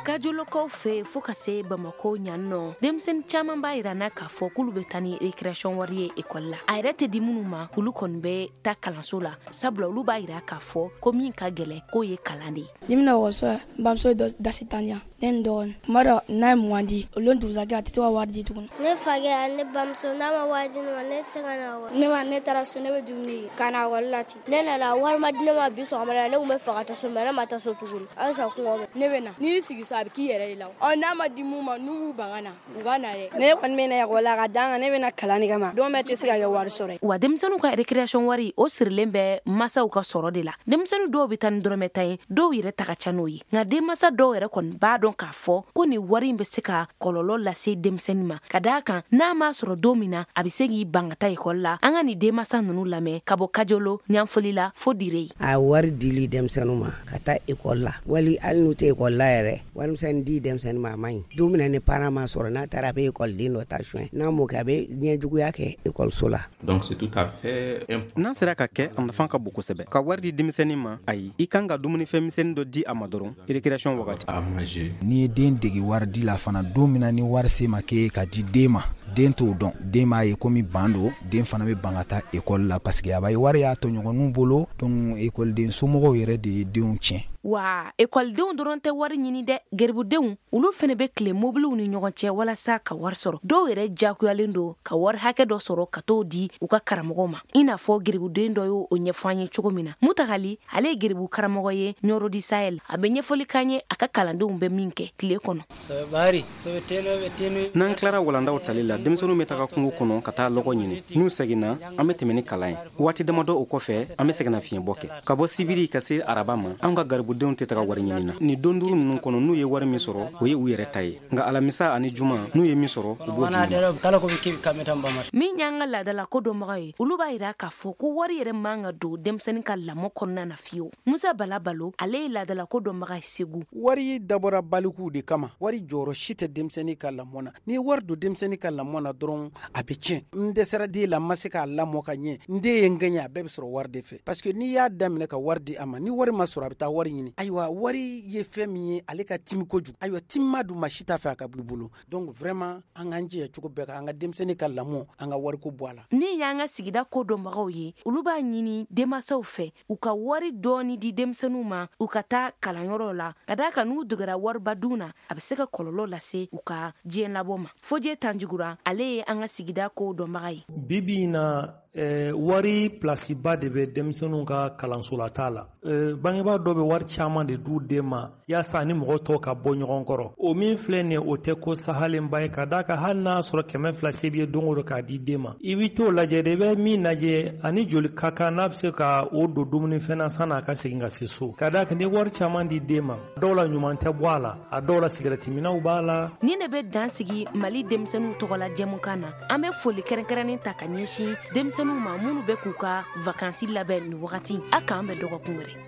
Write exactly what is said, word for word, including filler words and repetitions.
Kajolokaw fɛ fo ka se Bamakɔ ɲan nɔ, denmisɛnnin caman b'a yira n na k'a fɔ k'olu bɛ taa ni récréation wari ye ekɔli la. A yɛrɛ tɛ di minnu ma, olu kɔni bɛ taa kalanso la, sabula olu b'a yira k'a fɔ ko min ka gɛlɛn, k'o ye kalan de ye. Ni bɛna ekɔliso la, n bamuso ye dasi tan di yan, ne ni n dɔgɔnin. Tuma dɔ n'a ye mugan di, o lon dugusajɛ a tɛ to ka wari di tuguni. Ne fakɛ ani ne bamuso, n'a ma wari di ne ma, ne tɛ se ka na ekɔli. Ne ma ne taara so, ne bɛ dumuni kɛ ka na ekɔli la ten. Ne nana, wari ma di ne ma bi sɔgɔmada la. Ne tun bɛ fɛ ka taa so, mais ne ma taa so tuguni, halisa kɔngɔ bɛ ne bɛ na. N'i y'i sigi so, a bɛ k'i yɛrɛ de la. Ɔ n'a ma di mun ma, n'u b'u ban ka na, u ka na dɛ. Ne kɔni bɛ na ekɔli la ka d'an kan, ne bɛ na kalan de kama. Don bɛɛ tɛ se ka kɛ wari sɔrɔ ye. Wa denmisɛnninw ka récréation wari, o sirilen bɛ masaw ka sɔrɔ de la. Denmisɛnnin dɔw bɛ taa ni dɔrɔmɛ tan ye, dɔw yɛrɛ ta ka ca n'o ye. Nka denmansa dɔw yɛrɛ kɔni b'a dɔn k'a fɔ ko nin wari in bɛ se ka kɔlɔlɔ lase denmisɛnnin ma, ka d'a kan n'a m'a sɔrɔ don min na, a bɛ se k'i ban ka taa ekɔli la. An ka nin denmansa ninnu lamɛn ka bɔ Kajolo, Ɲanfoli la fo Dire. A wari dili denmisɛnninw ma ka taa ekɔli la, wali hali n'u tɛ ekɔli la yɛrɛ, warimisɛnnin di denmisɛnnin ma, a man ɲi. Don min na ni parent ma sɔrɔ, n'a taara, a bɛ ekɔliden dɔ ta suɲɛ. N'a m'o kɛ, a bɛ ɲɛjuguya kɛ ekɔliso la. Donc c'est tout à fait N'a sera ka kɛ, a nafa ka bon kosɛbɛ. Ka wari di denmisɛnnin ma, ayi, i kan ka dumunifɛn misɛnnin dɔ di a ma dɔrɔn récréation wagati. N'i ye den degi wari di la fana, don min na ni wari se ma k'e ka di den ma, den t'o dɔn. Den b'a ye komi ban don, den fana bɛ ban ka taa ekɔli la, parce que a b'a ye wari y'a tɔɲɔgɔnninw bolo. Donc ekɔliden somɔgɔw yɛrɛ de ye denw tiɲɛ. Wa ekɔlidenw dɔrɔn tɛ wari ɲini dɛ. Geribudenw, olu fana bɛ tile mobiliw ni ɲɔgɔn cɛ walasa ka wari sɔrɔ. Dɔw yɛrɛ jakuyalen don ka wari hakɛ dɔ sɔrɔ ka t'o di u ka karamɔgɔw ma, i n'a fɔ geribuden dɔ y'o ɲɛfɔ an ye cogo min na. Mutagali, ale ye geribu karamɔgɔ ye Ɲɔrɔ di Sahel. A bɛ ɲɛfɔli k'an ye a ka kalandenw bɛ min kɛ tile kɔnɔ. N'an tilara walandaw tali la, denmisɛnninw bɛ taga kungo kɔnɔ ka taa lɔgɔ ɲini. N'u seginna, an bɛ tɛmɛ ni kalan ye. Waati damadɔ o kɔfɛ, an bɛ segin fiɲɛbɔ kɛ. Ka bɔ sibiri ka se araba ma, an ka garibudenw tɛ taga wari ɲini na. Nin don duuru ninnu kɔnɔ, n'u ye wari min sɔrɔ, o ye u yɛrɛ ta ye. Nka alamisa ani juma, n'u ye min sɔrɔ, u b'o di. Min y'an ka laadala ko dɔnbaga ye, olu b'a yira k'a fɔ ko wari yɛrɛ man ka don denmisɛnnin ka lamɔ kɔnɔna na fiyewu. Musa Bala Balo, ale ye laadala ko dɔnbaga ye Segu. Wari dabɔra balikuw de kama. Wari jɔyɔrɔ si tɛ denmisɛnnin ka lamɔ na. N'i ye wari don denmisɛnnin ka lamɔ na dɔrɔn, a bɛ tiɲɛ. N dɛsɛra den la, n ma se k'a lamɔ ka ɲɛ, n den ye n gɛɲɛ, a bɛɛ bɛ sɔrɔ wari de fɛ, parce que n'i y'a daminɛ ka wari di a ma, ni wari ma sɔrɔ, a bɛ taa wari ɲini. Ayiwa, wari ye fɛn min ye, ale ka timi kojugu. Ayiwa, timima dun, ma si t'a fɛ a ka b'i bolo. Donc vraiment, an k'an jija cogo bɛɛ kan an ka denmisɛnnin ka lamɔ, an ka wariko bɔ a la. Min y'an ka sigida ko dɔnbagaw ye, olu b'a ɲini denmansaw fɛ u ka wari dɔɔni di denmisɛnninw ma u ka taa kalanyɔrɔ la, ka d'a kan n'u degera wariba dun na, a bɛ se ka kɔlɔlɔ lase u ka diɲɛ labɔ ma. Fojɛ Tanjugura, ale ye an ka sigida ko dɔnbaga ye. Bi bi in na, eh, wari pilasiba de bɛ denmisɛnninw ka kalansolata la. eh, bangebaa dɔw bɛ wari caman de d'u den ma yaasa ni mɔgɔ tɔw ka bɔ ɲɔgɔn kɔrɔ. O min filɛ nin ye, o tɛ ko sahalenba ye, ka d'a kan hali n'a sɔrɔ kɛmɛ fila se b'i ye don o don k'a di den ma, i bɛ t'o lajɛ de. I bɛ min lajɛ ani joli ka kan, n'a bɛ se ka o don dumunifɛn na san'a ka segin ka se so, ka d'a kan n'i ye wari caman di den ma, dɔw la ɲuman tɛ bɔ a la, a dɔw la sigɛrɛtiminɛw b'a la. Nin de bɛ dan sigi Mali denmisɛnninw tɔgɔla jɛmukan na. An bɛ foli kɛrɛnkɛrɛnnen ta ka ɲɛsin denmisɛnninw ma minnu bɛ k'u ka vakansi labɛn nin wagati. A k'an bɛn dɔgɔkun wɛrɛ.